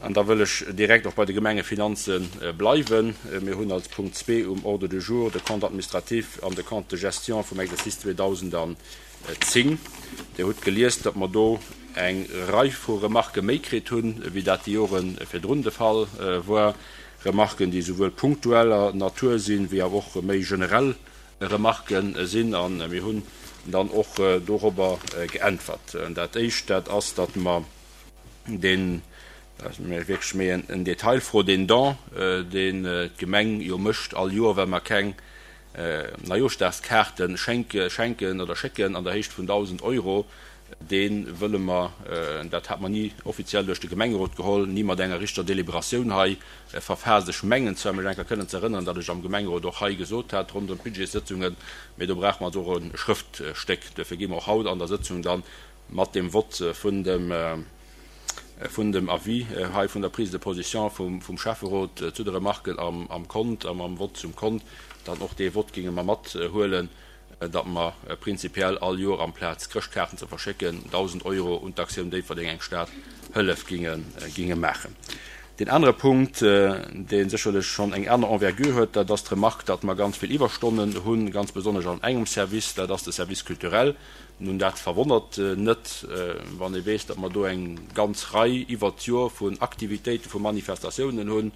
An da wëll ech direkt och bei de Gemengefinanze bleiwen. Mir hunn als Punkt zwee um Ordre du jour de Compte administratif an de Compte de gestion vum Exercice 2010. Dir hutt gelies, datt mer do eng Rei vu Remarquë méi kritt hunn, wéi dat déi Jore virdrun de Fall war. Remarquen, déi esouwuel punktueller Natur sinn, wéi awer och méi generell Remarquen sinn. A mir hunn dann och dorobber geäntwert. Dat Éischt, dat ass, datt mer deen, dat ass wierklech méi en Detailfro, deen Don, deen d'Gemeng jo mécht all Joer, well mer keng Neijooschdagskaarte schenken oder schécken an der Héicht vun 1.000 Euro, dee wëlle mer, dat hat mer ni offiziell duerch de Gemengerot geholl, ni mat enger richteger Deliberatioun hei verfaasst. Ech mengen zwar, mech eng Kéier kënnen ze erënneren, datt ech am Gemengerot och hei gesot hat ronderëm d'Budgetssëtzungen, mee do brauche mer also och e Schrëftstéck. Duerfir gi mer och haut an der Sëtzung dann mat dem Vott vun dem vun dem Avis hei vun der Prise de position vum Schäfferot zu de Remarken am Kont a mam Vott zum Kont dann och dee Vott géinge mer mathuelen, datt mer prinzipiell all Joer amplaz Chrëschtkaarten ze verschécken 1.000 Euro un d'Aktioun Déifferdeng eng Stad hëllef géinge maachen. Deen anere Punkt, dee sécherlech schonn eng aner Envergure huet, dat ass d'Remarque, datt mer ganz vill Iwwerstonnen hunn, ganz besonnesch an engem Service, dat ass de Service culturel. Nun, dat verwonnert net, wann ee weess, datt mer do eng ganz Rei iwwert d'Joer vun Aktivitéiten, vu Manifestatiounen hunn,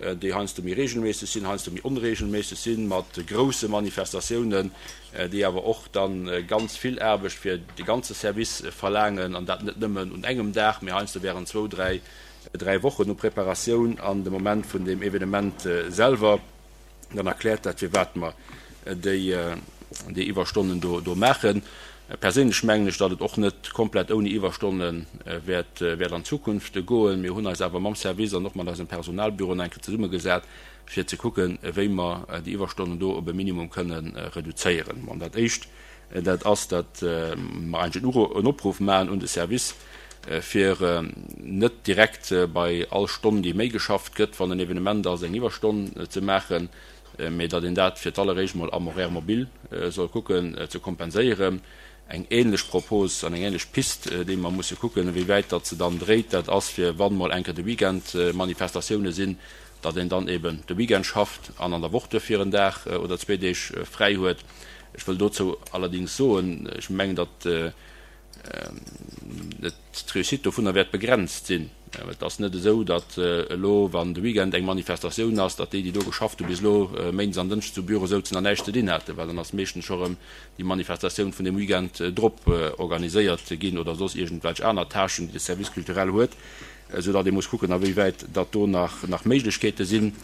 déi heiansdo méi regelméisseg sinn, heiansdo méi onregelméisseg sinn, mat grousse Manifestatiounen, déi awer och da ganz vill Aarbecht fir de ganze Service verlaangen, an dat net nëmmen un engem Dag, mee heiansdo während zwou, dräi, dräi Wochen u Preparatioun an de Moment vun deem Evenement selwer. Dann erkläert dat, firwat mer déi Iwwerstonnen do maachen. Perséinlech mengen ech, datt et och net komplett ouni Iwwerstonne wäert an Zukunft goen. Mir hunn eis awer mam Service an och mat eisem Personalbüro nach eng Kéier zesummegesat, fir ze kucken, wéi mer déi Iwwerstonnen do op e Minimum kënne reduzéieren. Bon, dat Éischt, dat ass, datt mer eigentlech en Opruff maachen un de Service, fir net direkt bei all Stonn, déi méi geschafft gëtt, wann en Evenement ass, eng Iwwerstonn ze maachen, mee datt een dat fir d'alleréischt mol am Horaire mobile soll kucken ze kompenséieren. Eng ähnlech Propos an eng ähnlech Pist, déi mer musse kucken, wéi wäit datt se dann dréit, dat ass, fir wann mol eng Kéier de Weekend Manifestatioune sinn, datt een dann eben de Weekend schafft an an der Woch duerfir en Dag oder zwee Deeg fräi huet. Ech wëll dozou allerdings soen, ech mengen, datt d'Réussite dovunner wäert begrenzt sinn. Et ass net esou, datt elo, wann de Weekend eng Manifestatioun ass, datt déi, déi do geschafft hu bis elo méindes an dënschdes um Büro souzen an näischt ze dinn haten, well dann ass meeschtens scho rëm déi Manifestatioun vun dem Weekend drop organiséiert ginn oder soss iergendwelch aner Tâchen, déi de Service culturel huet, soudatt ee muss kucken, awéiwäit datt do nach Méiglechkeete sinn.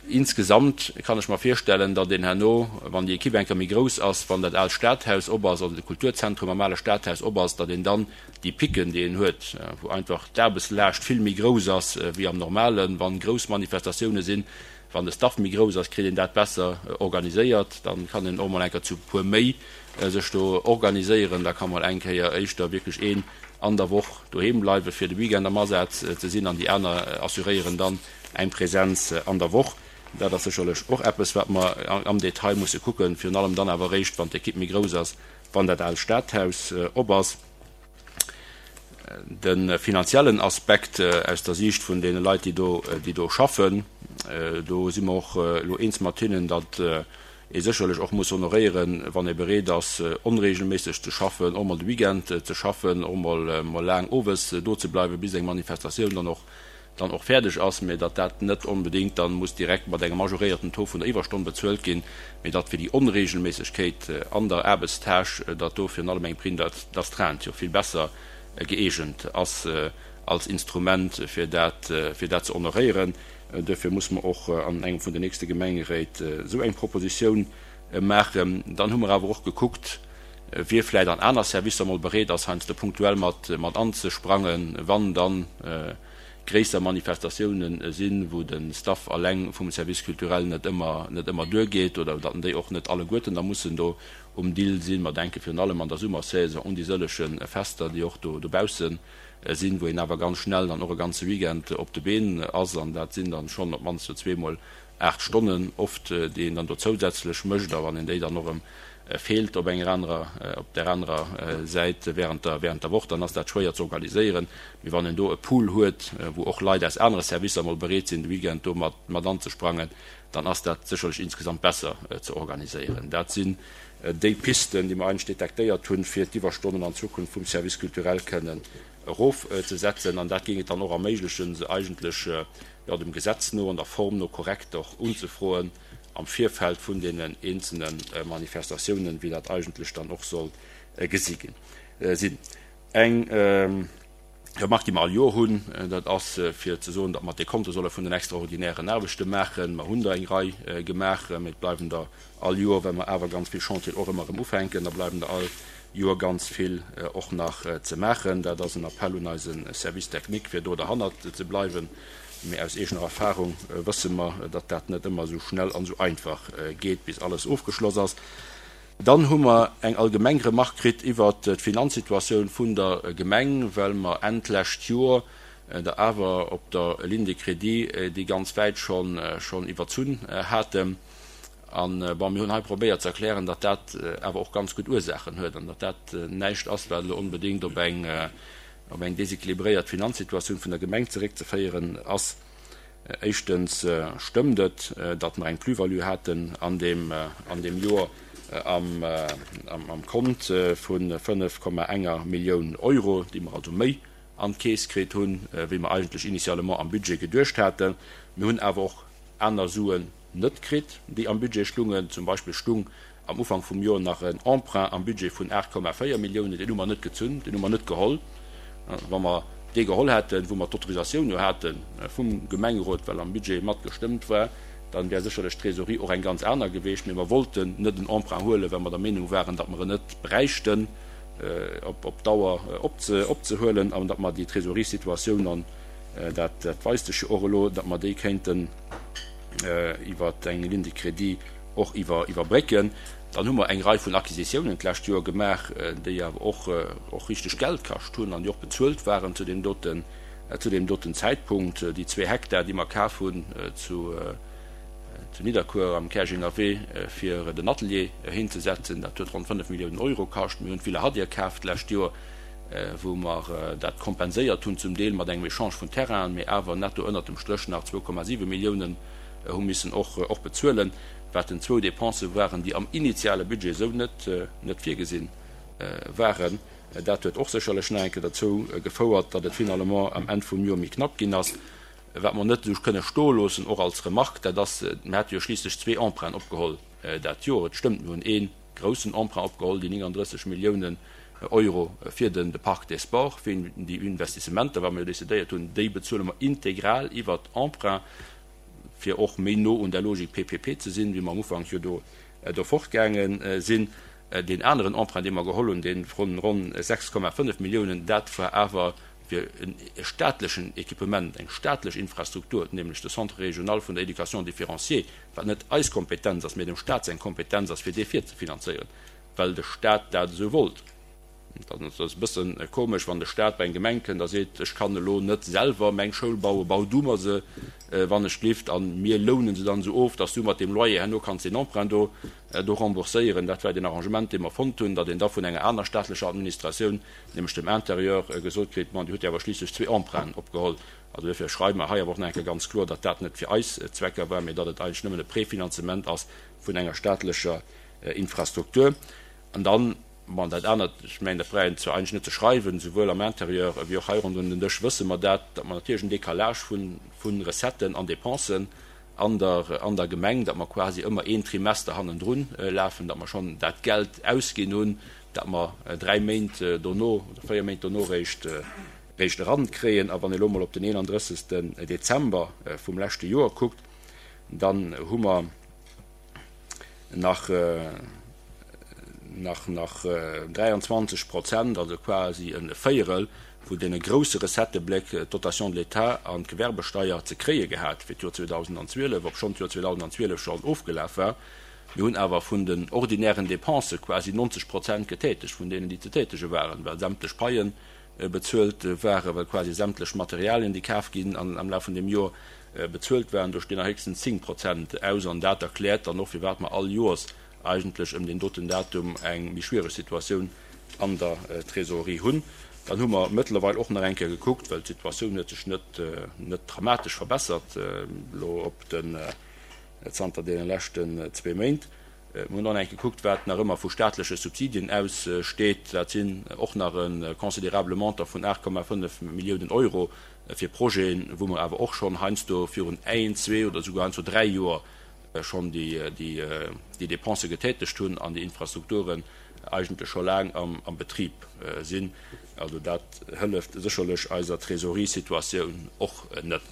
Insgesamt kann ech mer virstellen, datt een herno, wann déi Equipe eng Kéier méi grouss ass, wann dat aalt Stadhaus op ass, also de Kulturzentrum am ale Stadhaus op ass, datt een dann déi Picken, déi een huet, wou einfach d'Aarbechtslaascht vill méi grouss ass wéi am Normalen, wann grouss Manifestatioune sinn, wann de Staff méi grouss ass, kritt een dat besser organiséiert. Dann kann een och mol eng Kéier zu puer méi sech do organiséieren. Da ka mol eng Kéier éischter wierklech een an der Woch doheem bleiwen, fir de Weekend am Asaz ze sinn, an déi aner assuréieren dann Eng Präsenz an der Woch, dat ass sécherlech och eppes, wat mer am Detail musse kucken, virun allem dann awer eréischt, wann d'Ekipp méi grouss ass, wann dat aalt Stadhaus op ass. De finanziellen Aspekt aus der Siicht vun deene Leit, déi do, déi do schaffen, do si mer och elo eens mat hinnen, datt ee sécherlech och muss honoréieren, wann ee bereet ass, onregelméisseg ze schaffen, och mol de Weekend ze schaffen, och mol mol laang owes do ze bleiwen, bis eng Manifestatioun dann och dann och fäerdeg ass, mä datt dat net onbedéngt dann muss direkt mat engem majoréierten Taux vun der Iwwerstonn bezuelt ginn, mä datt fir déi Onregelméissegkeet an der Aarbechtstâche, datt do virun allem eng Prime d'astreinte jo vill besser gëeegent ass als Instrument, fir dat, fir dat ze honoréieren. Duerfir muss mer och an engem vun den nächste Gemengeréit esou eng Propositioun maachen. Dann hu mer awer och gekuckt, wie vläicht an aner Servicer mol bereet ass, heiansdo punktuell mat, mat anzesprangen, wann dann gréisser Manifestatiounen sinn, wou de Staff alleng vum Service culturel net ëmmer, net ëmmer duergeet oder datt déi och net alleguerten da mussen do um Dill sinn. Mer denke virun allem an der Summersaison un déi sëllege Fester, déi och do dobausse sinn, wou een awer ganz schnell dann och e ganze Weekend op de Been ass an dat sinn dann schonn op d'mannst jo zweemol 8 Stonnen oft, déi een dann do zousätzlech mécht a wann een déi dann och erëm. feelt op enger anerer, op där anerer Säit während der, während der Woch, dann ass dat schwéier ze organiséieren. Mee wann een do e Pool huet, wou och Leit aus anere Servicer mol bereet sinn, de Weekend do mat, mat anzesprangen, dann ass dat sécherlech insgesamt besser ze organiséieren. Dat sinn déi Pisten, déi mer eigentlech detektéiert hunn, fir d'Iwwerstonnen an Zukunft vum Service culturel kënnen erofzesetzen. An dat géing et dann och erméiglechen, se eigentlech, jo, dem Gesetz no an der Form no korrekt och unzefroen am Virfeld vun deenen eenzelne Manifestatiounen, wéi dat eigentlech dann och soll gesi ginn sinn. Eng Remarque, déi mer all Joer hunn, dat ass fir ze soen, datt mer d'Dekonte solle vun den extraordinären Aarbechte maachen. Mer hunn der eng Rei gemaach, mee et bleiwen der all Joer, well mer awer ganz vill Chantieren och ëmmer erëm ufänken, da bleiwen der all Joer ganz vill och nach ze maachen. Dat ass en Appell un eise Service technique, fir do derhannert ze bleiwen. Mee aus eegener Erfahrung wësse mer, datt dat net ëmmer esou schnell an esou einfach geet, bis alles ofgeschloss ass. Dann hu mer eng allgemeng Remark kritt iwwert d'Finanzsituatioun vun der Gemeng, well mer Enn d'lescht Joer der awer op der Ligne de crédit déi ganz wäit schonn iwwerzunn haten. An, bon, mir hunn hei probéiert ze erklären, datt dat awer och ganz gutt Ursaachen huet an datt dat näischt ass, wat elo onbedéngt op eng op eng deséquilibréiert Finanzsituatioun vun der Gemeng zeréckzeféieren ass. Éischtens stëmmt et, datt mer eng Plus-value haten an deem an deem Joer am am Kont vu 5,enger Millioun Euro, déi mer also méi an d'Keess kritt hunn, wéi mer eigentlech initialement am Budget geduecht haten. Mir hunn awer och aner Suen net kritt, déi am Budget stungen. Zum Beispill stung am Ufank vum Joer nach en Emprunt am Budget vun 8,4 Milliounen, deen hu mer net gezunn, deen hu mer net geholl. Wa mer dee geholl hätten, wou mer d'Autorisatioun jo hate vum Gemengerot, well am Budget mat gestëmmt war, dann wär sécherlech d'Trésorerie och eng ganz aner geweecht. Mee mer wollten net en Emprunt huelen, well mer der Meenung waren, datt mer en net bräichten op Dauer opzehuelen an datt mer déi Trésoreriesituatioun, an dat weist sech jo och elo, datt mer déi kéinten iwwer eng Ligne de crédit och iwwerbrécken. Dann hu mer eng Rei vun Acquisitiounen d'lescht Joer gemaach, déi awer och och richteg Geld kascht hunn an déi och bezuelt waren zu deem doten, zu deem doten Zäitpunkt. Déi zwee Hektar, déi mer kaf hunn zu zu Nidderkuer am Käerjenger Wee fir den Atelier hinzesetzen, dat huet ronn 5 Milliounen Euro kascht. Mir hunn d'Villa Hadir kaf d'lescht Joer, wou mer dat kompenséiert hunn zum Deel mat engem Echange vun Terrainen, mee awer netto ënnert dem Stréch nach 2,7 Milliounen hu missen och och bezuelen, wat den zwou Dépensë waren, déi am initiale Budget esou net net virgesi waren. Dat huet och sécherlech nach eng Kéier derzou gefouert, datt et finalement am Enn vum Joer méi knapp ginn ass. Wat mer net esou kënne stoe loossen, och als Remarque, dat ass, mir hate jo schliisslech zwee Emprunten opgeholl dat Joer. Et stëmmt, mir hunn ee groussen Emprunt opgeholl, déi 39 Milliounen Euro fir den de Parc des Sports, fir déi Investissementer, wat mer jo decidéiert hunn, déi bezuele mer integral iwwert Emprunt. fir och méi no un der Logik PPP ze sinn, wéi mer am Ufank jo do do fortgaange sinn. Deen aneren Emprunt, dee mer geholl hunn, dee vun ronn 6,5 Milliounen, dat war awer fir e staatlechen Equipement, eng staatlech Infrastruktur, nämlech de Centre régional vun der Éducation différenciée, wat net eis Kompetenz ass, mä dem Stat seng Kompetenz ass, fir dee virzefinanzéieren, well de Stat dat esou wollt. Dann ass et e bësse komesch, wann de Staat bei eng Gemeng kënnt a seet, ech kann elo net selwer meng Schoul bauen, bau du mer se, wann ech glift, a mir lounen se dann esou of, dass du mat deem Loyer herno kanns deen Emprunt do do rembourséieren. Dat war deen Arrangement, dee mer fonnt hunn, datt een da vun enger aner staatlecher Administratioun, nämlech dem Intérieur, gesot kritt, Bon, Dir hutt jo awer schliisslech zwee Emprunten opgeholl. Also duerfir schreiwe mer hei awer och nach eng Kéier ganz kloer, datt dat net fir eis Zwecker war, mee datt et eigentlech nëmmen e Prefinanzement ass vun enger staatlecher Infrastruktur. An dann, bon, dat anert, ech mengen, dat brauch een zwar eigentlech net ze schreiwen, souwuel am Intérieur ewéi och hei ronderëm den Dësch wësse mer dat, datt mer natierlech en Décalage hu vu Recetten an Dépensen an der, an der Gemeng, datt mer quasi ëmmer een Trimester hannendrun lafen, datt mer schonn dat Geld ausginn hunn, dat mer dräi Méint dono oder véier Méint dono réischt, réischt erankréien. A wann ee elo emol op den 31. Dezember vum leschte Joer kuckt, dann hu mer, nach nach nach 23 Prozent, also quasi e Véierel vun deene grousse Recettëbléck, d'Dotation de l'État an d'Gewerbesteier, ze kréie gehat fir d'Joer 2012, obschonn d'Joer 2012 schonn ofgelaf war. Mir hunn awer vun den ordinären Dépensë quasi 90 Prozent getätegt vun deenen, déi ze tätege waren, well sämtlech Paie bezuelt waren, well quasi sämtlech Materialien, déi kaf ginn am Laf vun deem Joer, bezuelt waren. Do stinn nach héchstens 10 Prozent aus. An dat erkläert dann och, firwat mer all Joers. eigentlech ëm deen doten Datum eng méi schwiereg Situatioun an der Trésorerie hunn. Dann hu mer mëttlerweil och nach eng Kéier gekuckt, well d'Situatioun huet sech net net dramatesch verbessert elo op den zanter deene leschten zwee Méint. Mir hunn och nach eng Kéier gekuckt, wat nach ëmmer vu staatleche Subsidien aussteet. Dat sinn och nach e considerabele Montant vun 8,5 Milliounen Euro fir Projeten, wou mer awer och schonn heiansdo virun een, zwee oder souguer heiansdo dräi Joer schonn déi Dépensë getätegt hunn an déi Infrastrukturen eigentlech scho laang am Betrib sinn. Also dat hëlleft sécherlech eiser Trésoreriesituatioun och net.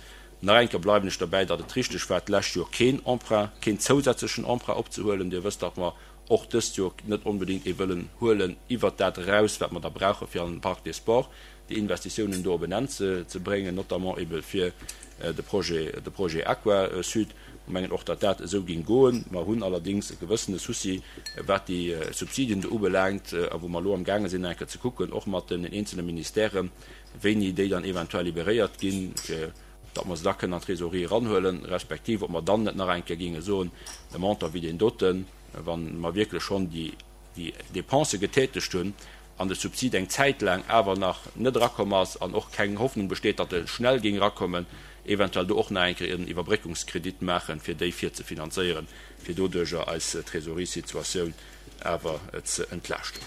Nach eng Kéier bleiwen ech derbäi, datt et richteg war, d'lescht Joer keen Emprunt, keen zousätzlechen Emprunt opzehuelen. Dir wësst, datt mer och dëst Joer net onbedéngt ee wëllen huelen iwwert dat eraus, wat mer da brauche fir an den Parc des Sports déi Investitiounen do op en Enn ze bréngen, notamment ebe fir de Projet, de Projet Aquasud. Mer mengen och, datt dat esou géing goen. Mer hunn allerdéngs e gewëssene Souci, wat déi Subsidien do ubelaangt a wou mer elo amgaange sinn, nach eng Kéier ze kucken, och mat den eenzele Ministèren, wéini déi dann eventuell liberéiert ginn, fir datt mer se da kënnen an d'Trésorerie eranhuelen, respektiv ob mer dann net nach eng Kéier géinge soen, e Montant wéi deen doten, wa mer wierklech schonn déi Dépensë getätegt hunn an de Subsid eng Zäit laang awer nach net erakomm ass an och keng Hoffnung besteet, datt e schnell géing erakommen, eventuell do och nach eng Kéier en Iwwerbréckungskredit maachen, fir déi virzefinanzéieren, fir doduerjer eis Trésorierssituatioun awer ze entlaaschten.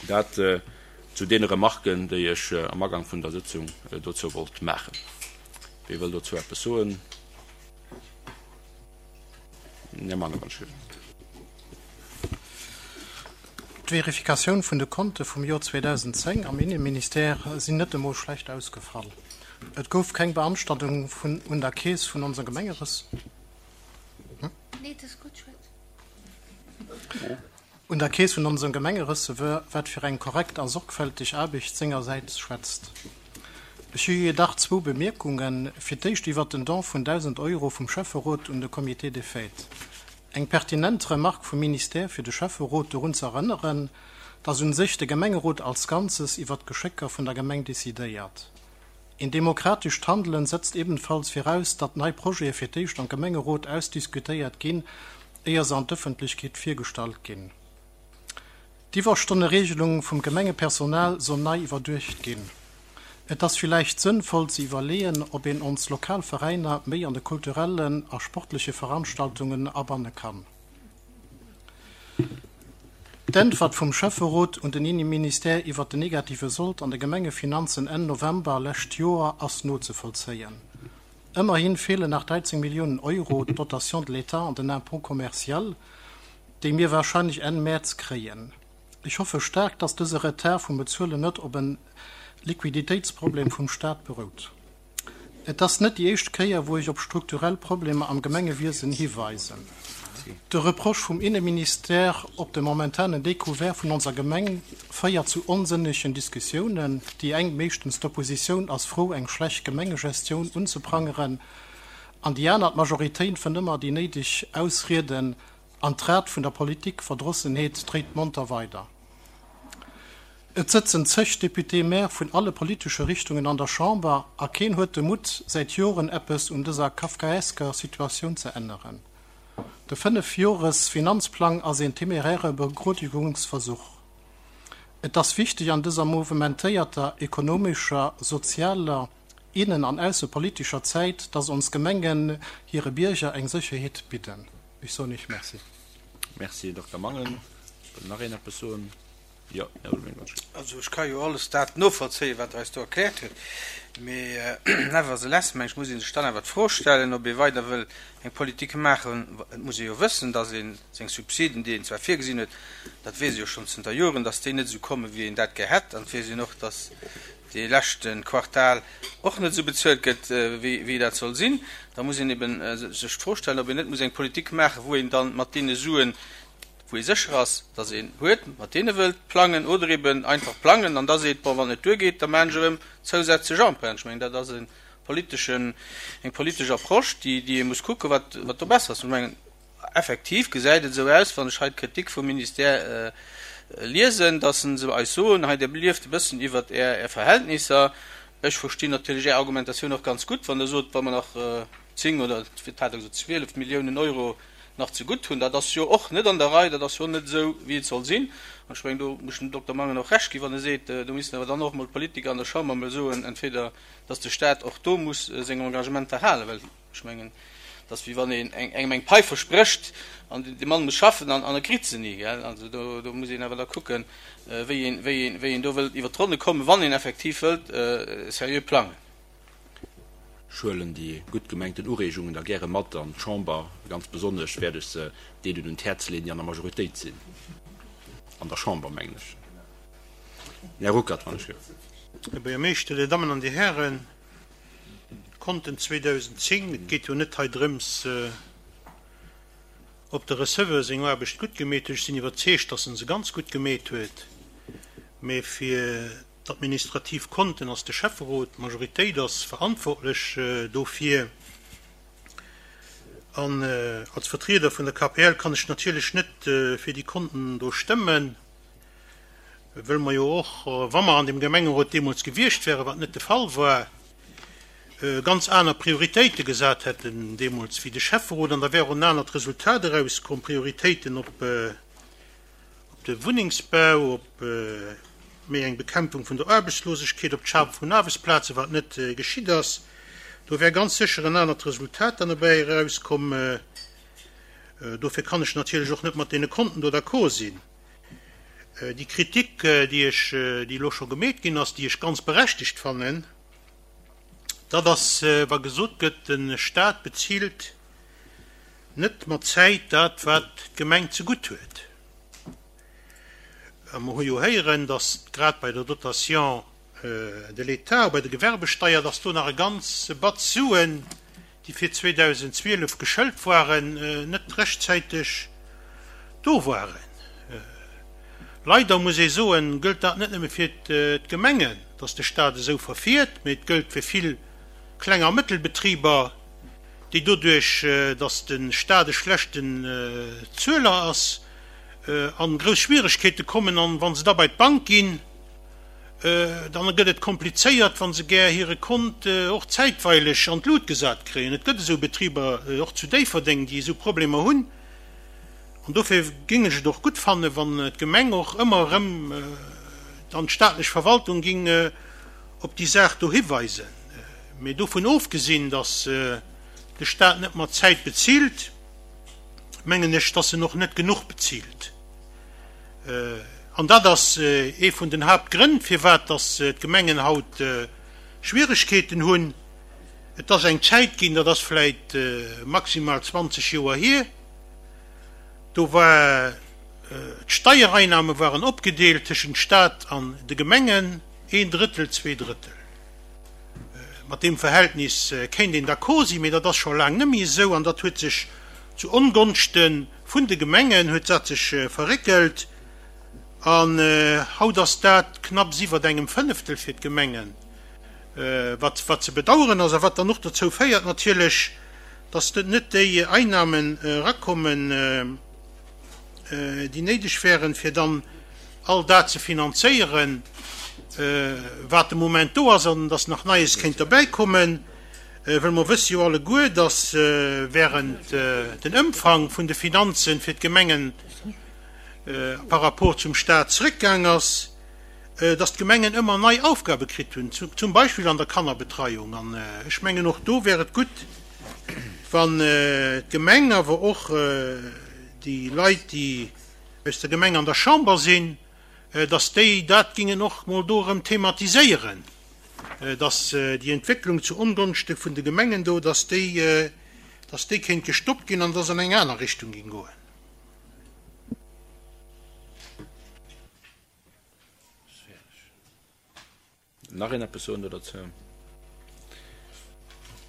Dat zu deene Remarken, déi ech am Agank vun der Sëtzung dozou wollt maachen. Wie wëll dozou eppes soen? Här Mangen, wann ech wëll. D'Verifikatioun vun de Konte vum Joer 2010 am Inneministère sinn net emol schlecht ausgefall. Et gouf keng Beanstandung vun un der Keess vun onser Gemengeres. Un der Keess vun onsem Gemengereceveur, wat fir eng korrekt a sorgfälteg Aarbecht sengersäits schwätzt. Ech hu jedach zwou Bemierkungen, fir d'éischt iwwert den Don vun 1.000 Euro vum Schäfferot un de Comité des Fêtes. Eng pertinent Remarque vum Ministère fir de Schäfferot dorun ze erënneren, dass un sech de Gemengerot als Ganzes iwwert d'Geschécker vun der Gemeng decidéiert. Een demokratescht Handelen setzt ebenfalls viraus, datt nei Projete fir d'éischt am Gemengerot ausdiskutéiert ginn, éier se an d'Ëffentlechkeet virgestallt ginn. D'Iwwerstonneregelung vum Gemengepersonal soll nei iwwerduecht ginn. Et ass villäicht sënnvoll ze iwwerleeën, ob een ons lokal Veräiner méi an de kulturellen a sportleche Veranstaltungen abanne kann. D'Äntwert vum Schäfferot un den Inneministère iwwert den negative Sold an de Gemengefinanzen Enn November lescht Joer ass nozevollzéien. Ëmmerhin feelen nach 13 Milliounen Euro, d'Dotation de l'État an den Impôt commercial, déi mir wahrscheinlech Enn Mäerz kréien. Ech hoffe staark, dass dëse Retard vum Bezuelen net op en Liquiditéitsproblem vum Staat berout. Et ass net déi éischt Kéier, wou ech op strukturell Problemer am Gemengewiesen hiweisen. De Reproche vum Inneministère op de momentanen Découvert vun onser Gemeng féiert zu onsënnegen Diskussiounen. Déi eng, meeschtens d'Oppositioun, ass frou, eng schlecht Gemengegestioun unzeprangeren, an déi aner, d'Majoritéit, fënnt ëmmer déi néideg Ausrieden, An d'Rad vun der Politikverdrossenheet dréit monter weider. Et sëtzen zeg Députés-maires vun alle politesche Richtungen an der Chamber a keen huet de Mutt, säit Joren eppes un dëser kafkaesker Situatioun ze änneren. De Fënnefjores-Finanzplang ass een temeräre Begrodigungsversuch. Et ass wichteg an dëser mouvementéierter ekonomescher, sozialer, innen an aussepolitescher Zäit, dass ons Gemengen hire Bierger eng Sécherheet bidden. Ech soen Iech Merci. Merci, Dokter Mangen. Wëll nach een eppes soen? Jo, Här Ulveling, wann ech. Also ech ka jo alles dat novollzéien, wat Der eis do erkläert hutt, mee nevertheless, meng ech, muss ee sech dann awer d'Fro stellen, ob ee weider wëll eng Politik maachen. Et muss ee jo wëssen, dass ee seng Subsiden, déi een zwar virgesinn huet, dat weess ee jo schonn zënter Joren, dass déi net esou kommen, wéi een dat gär hätt. An et weess een och, dass dee leschte Quartal och net esou bezuelt gëtt, wéi dat soll sinn, da muss een eben sech d'Fro stellen, ob een net muss eng Politik maachen, wou een dann mat deene Suen, wou ee sécher ass, dass een huet, mat deene wëllt plangen oder eben einfach plangen an da seet, bon, wann et net duergeet, da maachen ech erëm zousätzlech Emprunten. Ech mengen, dat ass e politeschen, eng politesch Approche, déi, déi ee muss kucken, wat, wat do besser ass. Ech mengen, Effektiv gesäit et esou aus, wann ech hei d'Kritik vum Ministère liesen, dass se eis soen, hei Dir lieft e bëssen iwwert Är Verhältnisser. Ech verstinn natierlech Är Argumentatioun och ganz gutt, wann Der sot, wa mer nach 10 oder, wat hat Der gesot, 12 Milliounen Euro. nach zegutt hunn. Dat ass jo och net an der Rei, dat ass jo net esou, wéi et soll sinn. An ech mengen, do muss ech dem Dokter Mangen och Recht ginn, wann e seet, do missten awer dann och emol d'Politiker an der Chamber emol soen, entweder dass de Stat och do muss seng Engagementer halen, well ech mengen, et ass wéi wann een engem eng Pai versprécht an de Mann muss schaffen an e kritt se ni. Also do muss een awer da kucken, wéi een, wéi een, wéi een do wëllt iwwert d'Ronne kommen, wann een effektiv wëllt seriö plangen. Ech huelen déi gutt gemengten Ureegungen da gäre mat an d'Chamber. Ganz besonnesch wäert ech se deenen un d'Häerz leeën, déi an der Majoritéit sinn an der Chamber, mengen ech. Här Ruckert, wann ech. Här Buergermeeschter, Dir Dammen an Dir Hären, d'Konten 2010, et geet jo net hei drëms, ob de Receveur seng Aarbecht gutt gemeet huet, ech sinn iwwerzeegt, dass en se ganz gutt gemeet huet, mä fir d'administrativ Konten ass de Schäfferot, d'Majoritéit ass verantwortlech dofir. An als Vertrieder vun der KPL kann ech natierlech net fir déi Konten do stëmmen, wëll mer jo och, wa mer an dem Gemengerot deemools gewiescht wären, wat net de Fall war, ganz aner Prioritéite gesat hätten deemools wéi de Schäfferot. An da wär och en anert Resultat erauskomm, Prioritéiten op de Wunnengsbau, op méi eng Bekämpfung vun der Aarbechtslosegkeet, op d'Schafe vun Aarbechtsplazen, wat net geschitt ass. Do wär ganz sécher en anert Resultat dann dobäi erauskomm. Dofir kann ech natierlech och net mat deene Konten do d'accord sinn. Déi Kritik, déi ech, déi elo scho gemeet ginn ass, déi ech ganz berechtegt fannen, dat ass, wa gesot gëtt, de Stat bezilt net mat Zäit dat, wat d'Gemeng zegutt huet. A mer hu jo héieren, datt grad bei der Dotation de l'État, bei der Gewerbesteier, datt do nach e ganze Batz Suen, déi fir 2012 geschëlt waren, net rechtzäiteg do waren. Leider, muss ee soen, gëllt dat net nëmme fir d'Gemengen, datt de Stat esou verfiert, mee et gëllt fir vill Kleng a Mëttelbetriber, déi doduerch, datt de Stat e schlechten Zueler ass, a grouss Schwieregkeete kommen. An wa se da bei d'Bank ginn, dann gëtt et komplizéiert, wa se gär hire Kont och zäitweileg an d'Lut gesat kréien. Et gëtt esou Betriber, och zu Déifferdeng, déi esou Problemer hunn. An dofir géing ech et och gutt fannen, wann d'Gemeng och ëmmer erëm dann d'staatlech Verwaltung géing op déi Saach do hiweisen. Mee dovun ofgesinn, datt de Staat net mat Zäit bezilt, mengen ech, datt en och net genuch bezilt. An dat ass ee vun den Haaptgrënn, firwat datt d'Gemengen haut Schwieregkeeten hunn. Et ass eng Zäit ginn, dat ass vläit maximal 20 Joer hier, do war d'Steiereinnahme waren opgedeelt tëschent Staat an de Gemengen, een Drëttel, zwee Drëttel. Mat deem Verhältnis kéint een d'accord sinn, mee dat ass scho laang net méi esou an dat huet sech zu Ongonschte vun de Gemengen huet dat sech verréckelt an haut ass dat knapps iwwert engem Fënneftel fir d'Gemengen, wat wat ze bedauern ass a wat dann och dozou féiert natierlech, dass net déi Einnahmen erakommen, déi néideg wären, fir dann all dat ze finanzéieren, wat de Moment do ass, an dass nach Neies kéint derbäikommen, well mer wësse jo alleguer, dass während den Ëmfang vun de Finanzen fir d'Gemengen par rapport zum Stat zrëckgaang ass, dass d'Gemengen ëmmer nei Aufgabe kritt hunn, zum Beispill an der Kannerbetreiung. An ech mengen, och do wär et gutt, wann d'Gemeng, awer och déi Leit, déi aus der Gemeng an der Chamber sinn, dass déi dat gingen och mol do erëm thematiséieren, dass déi Entwécklung zu Ongonschte vun de Gemengen do, dass déi, dass déi kéint gestoppt ginn an dass an eng aner Richtung ging goen. Nach een eppes soen do derzou?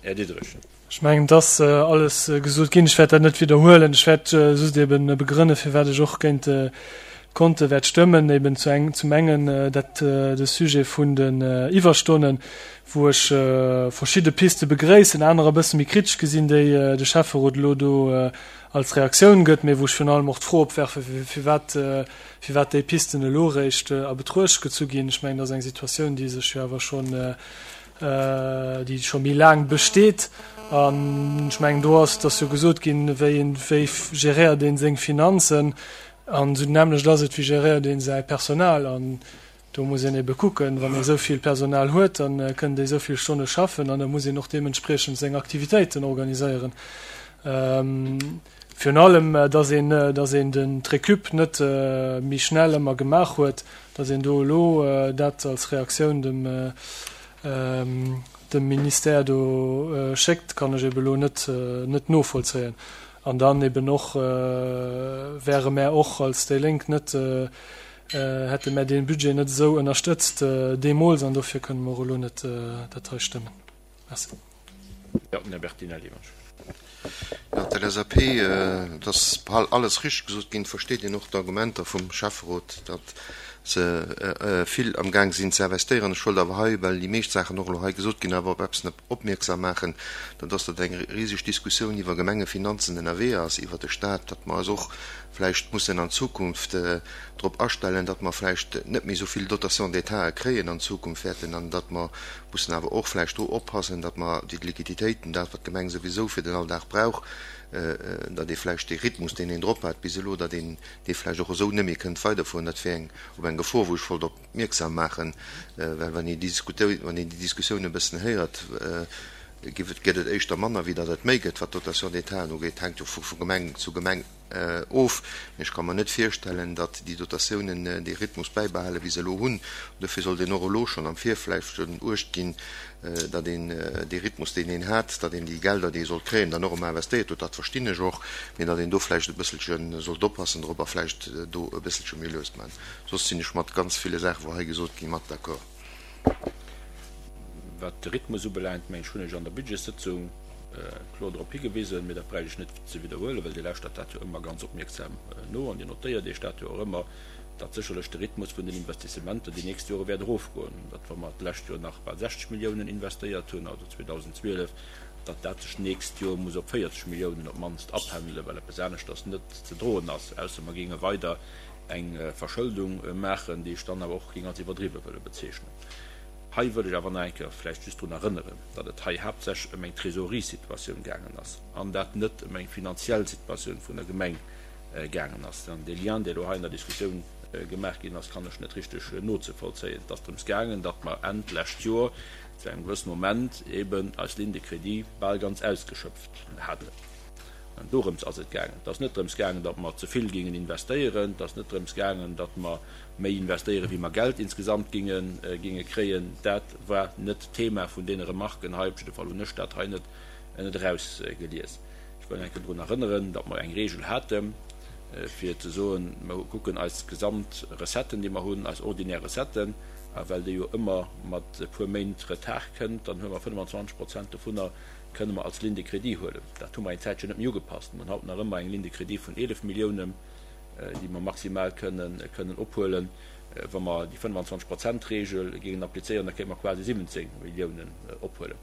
Här Diderich. Ech mengen, et ass alles gesot ginn. Ech wäert dat net widderhuelen. Ech wäert just eben begrënne firwat ech och géint d'Konte wäert stëmmen. Eben zu eng, zum engen dat de Sujet vun den Iwwerstonnen, wou ech verschidde Piste begréissen, anerer e bësse méi kritesch gesinn, déi de Schäfferot elo do als Reaktioun gëtt, mee wou ech virun allem och d'Fro opwerfe firwat firwat déi Pisten elo eréischt a Betruecht gezu ginn. Ech mengen, dat ass eng Situatioun, déi sech jo awer scho. Déi scho méi laang besteet. An ech mengen, do ass, et ass jo gesot ginn, wéi een, wéi geréiert ee seng Finanzen. An esou d'nämmlecht ass et, wéi geréiert ee säi Personal. An do muss een ebe kucken, wann ee esou vill Personal huet, da kënnen déi esou vill Stonne schaffen an da muss een och deementspriechend seng Aktivitéiten organiséieren. Virun allem, dass een, dass een den d'Recup net méi schnell ëmmer gemaach huet, dass een do elo dat als Reaktioun dem, dem Ministère do schéckt, kann ech ebe elo net, net novollzéien. An dann eben och wäre mär och als déi Lénk net, hätte mär dee Budget net esou ënnerstëtzt deemools an dofir kënne mer och elo net dat hei stëmmen. Merci. Jo, den Här Bertinelli, wann ech. Jo, d'LSAP, et ass bal alles richteg gesot ginn. Et versteet een och d'Argumenter vum Schäfferot, datt se vill amgaang sinn ze investéieren. Ech wollt awer hei, well déi meescht Saachen och elo hei gesot ginn, awer op eppes opmierksam maachen, dat ass, datt eng riseg Diskussioun iwwer Gemengefinanzen ënnerwee ass, iwwer de Stat, datt mer eis och vläicht mussen an Zukunft drop astellen, datt mer vläicht net méi esou vill Dotation d'État kréien an Zukunft wäerten an datt mer mussen awer och vläicht do oppassen, datt mer déi Liquiditéiten, dat wat d'Gemeng souwisou fir den Alldag brauch, datt ee vläicht dee Rhythmus, deen een drop hat bis elo, datt een dee vläicht och esou net méi kënnt weiderfueren. Dat wär eng op eng Gefor, wou ech wollt opmierksam maachen, well wann een déi wann een déi Diskussioun e bëssen héiert, giff et, gëtt et éischter manner wéi datt et méi gëtt, wat d'Dotation d'État ugeet. Hänkt jo vu Gemeng zu Gemeng of. Mee ech ka mer net virstellen, datt déi Dotatiounen dee Rhythmus bäibehalen, wéi se elo hunn. Dofir sollt een och elo schonn am Virfeld schonn Uecht ginn, datt een dee Rhythmus, deen een hat, datt een déi Gelder, déi ee sollt kréien, dann och ëmmer investéiert huet. Dat verstinn ech och, mee datt een do vläicht e bësselche sollt oppassen drop a vläicht do e bësselche méi lues maachen. Soss sinn ech mat ganz ville Saachen, wou hei gesot ginn, mat d'accord. Wat de Rhythmus ubelaangt, meng ech, hunn ech an der Budgetssëtzung kloer drop higewisen, mee dat bräicht ech net ze widderhuelen, well Dir lauschtert dat jo ëmmer ganz opmierksam no an Dir notéiert Iech dat jo och ëmmer, datt sécherlech de Rhythmus vun den Investissementer déi nächst Jore wäert erofgoen, datt wa mer d'lescht Joer nach bal 60 Milliounen investéiert hunn, also 2012, datt dat sech d'nächst Joer muss op 40 Milliounen op d'mannst apendelen, well eppes aneschters net ze droen ass, ausser mer géinge weider eng Verschëldung maachen, déi ech dann awer och géing als iwwerdriwwe wëlle bezeechnen. Hei wëll ech awer nach eng Kéier vläicht just drun erënneren, datt et hei haaptsächlech ëm eng Trésoreriesituatioun gaangen ass an dat net ëm eng finanziell Situatioun vun der Gemeng gaangen ass. An dee Lien, dee elo hei an der Diskussioun gemaach ginn ass, kann ech net richteg nozevollzéien. Et ass drëms gaangen, datt mer Enn d'lescht Joer zu engem gewëssene Moment eeben eis Ligne de crédit bal ganz ausgeschöpft haten. An dorëms ass et gaangen. Et ass net drëms gaangen, datt mer ze vill géingen investéieren. Et ass net drëms gaangen, datt mer méi investéieren, wéi mer Geld insgesamt ginge ginge kréien. Dat war net d'Thema vun deene Remarken hei. Op jidde Fall hunn ech dat hei net net erausgelies. Ech wëll eng Kéier drun erënneren, datt mer eng Regel haten, fir ze soen, mer kucken eis gesamt Recetten, déi mer hunn, eis ordinär Recetten, a well déi jo ëmmer mat e puer Méint Retard kënnt, dann huele mer 25 Prozent dovunner kënne mer als Ligne de crédit huelen. Dat hu mer eng Zäitchen net méi ugepasst. Mer hunn haut nach ëmmer eng Ligne de crédit vun 11 Milliounen. déi mer maximal kënnen ophuelen. Wa mer déi 25 Prozent-Regel géingen applizéieren, da kéinte mer quasi 17 Milliounen ophuelen.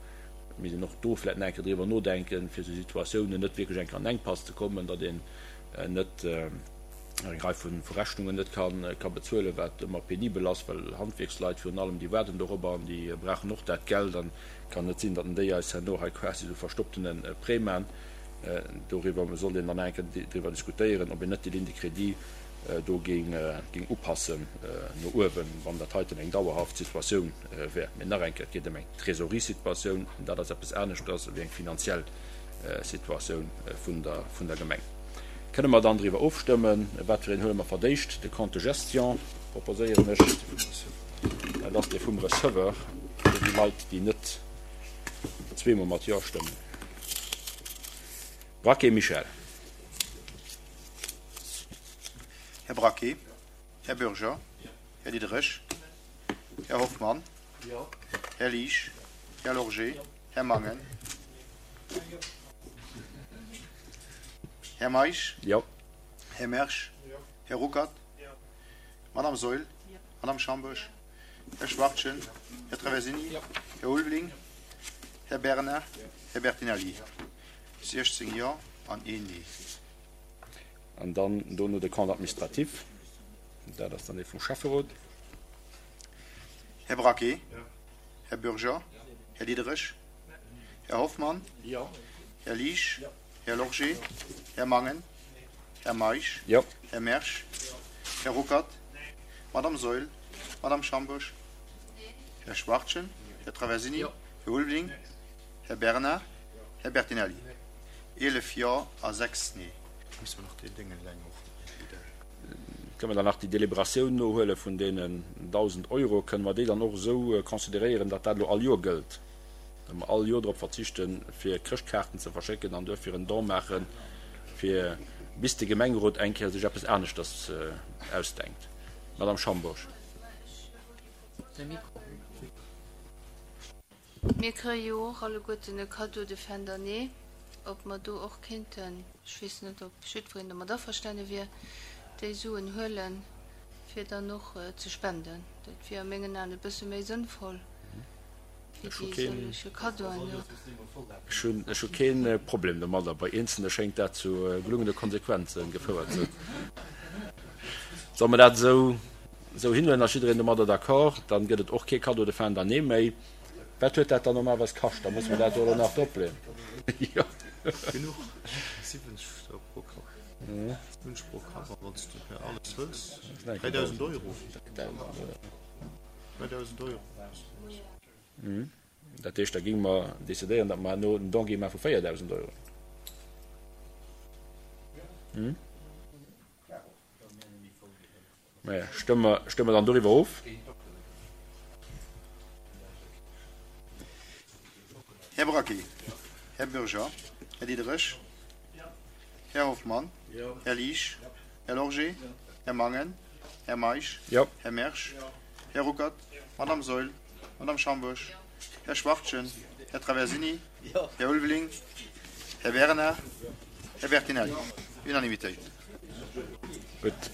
Et misst een och do vläicht nach eng Kéier driwwer nodenken, fir esou Situatiounen net wierklech eng Kéier an Enkpass ze kommen, datt een net eng Rei vu Rechnungen net ka bezuelen, wat ëmmer penibel ass, well Handwierksleit virun allem, déi waarden dorobber an déi brauchen och dat Geld an et kann net sinn, datt déi eis herno hei quasi esou verstopptene Prêt maachen. Doriwwer sollt een dann eng Kéier driwwer diskutéieren, ob een net déi Ligne de crédit do géing upassen no uewen, wann dat heiten eng dauerhaft Situatioun wär. Mee nach eng Kéier, et geet ëm eng Trésoreriesituatioun, an dat ass eppes aneschters ewéi eng finanziell Situatioun vun der Gemeng. Kënne mer dann driwwer ofstëmmen? Wat fir een huele mer fir d'éischt? De Compte de gestion proposéieren ech. Dat ass dee vum Receveur, fir déi Leit, déi net zweemol mat Jo stëmmen. Braquet Michel. Här Braquet. Här Bürger. Här Diderich. Här Hoffmann. Här Liesch. Här Lorgé. Här Mangen. Här Meisch. Här Mersch. Här Ruckert. Madame Saeul. Madame Schambourg. Här Schwachtgen. Här Traversini. Här Ulveling. Här Bernard. Här Bertinelli, 16 Jo an een Nee. An dann dono de Compte administratif, dat ass dann dee vum Schäfferot. Här Braquet. Här Bürger. Här Diderich? Här Hoffmann? Här Liesch? Här Lorgé? Här Mangen? Här Meisch? Här Mersch? Här Ruckert? Madame Saeul? Madame Schambourg? Här Schwachtgen? Här Traversini? Här Ulveling? Här Bernard? Här Bertinelli? 11 Jo a 6 Nee. Musse mer nach deen Déngen eleng och Kënne mer dann nach déi Deliberatioun nohuele vun deenen 1.000 Euro? Kënne mer déi dann och esou consideréieren, datt dat elo all Joer gëllt, datt mer all Joer drop verzichten, fir Chrëschtkaarten ze verschécken an duerfir en Don maachen, fir bis de Gemengerot eng Kéier sech eppes aneschters ausdenkt? Madame Schambourg. Mir kréie jo och alleguerten e Cadeau de fin d'année, ob mer do och kéinten, ech weess net, ob jiddwereen domat averstane wier, déi Suen huelen, fir dann och ze spenden. Dat wier a mengen Aen e bësse méi sënnvoll wéi déi sëllege Cadeauen do. Ech hu kee Problem domadder. Bei Eenzelne schéngt dat zu gelungene Konsequenze gefouert ze hunn. Solle mer dat esou Esou hinhuelen, ass jiddereen domadder d'accord, dann gëtt et och kee Cadeau de fin d'année méi. Wat huet dat dann normalerweis kascht? Da musse mer dat do elo nach dropleeën. Jo. Genuch, 70 pro Kapp. 70 pro Kapp, a wann s de per alles hëls, 3.000 Euro. 3.000 Euro. Dat heescht, da géinge mer decidéieren, datt mer herno en Don géinge maache vu 4.000 Euro. Maja, stëmme mer, stëmme mer dann doriwwer of. Här Braquet, Här Bürger, Här Diderich, Här Hoffmann, Här Liesch, Här Lorgé, Här Mangen, Här Meisch, Här Mersch, Här Ruckert, Madame Saeul, Madame Schambourg, Här Schwachtgen, Här Traversini, Här Ulveling, Här Bernard, Här Bertinelli. Unanimitéit. Gutt.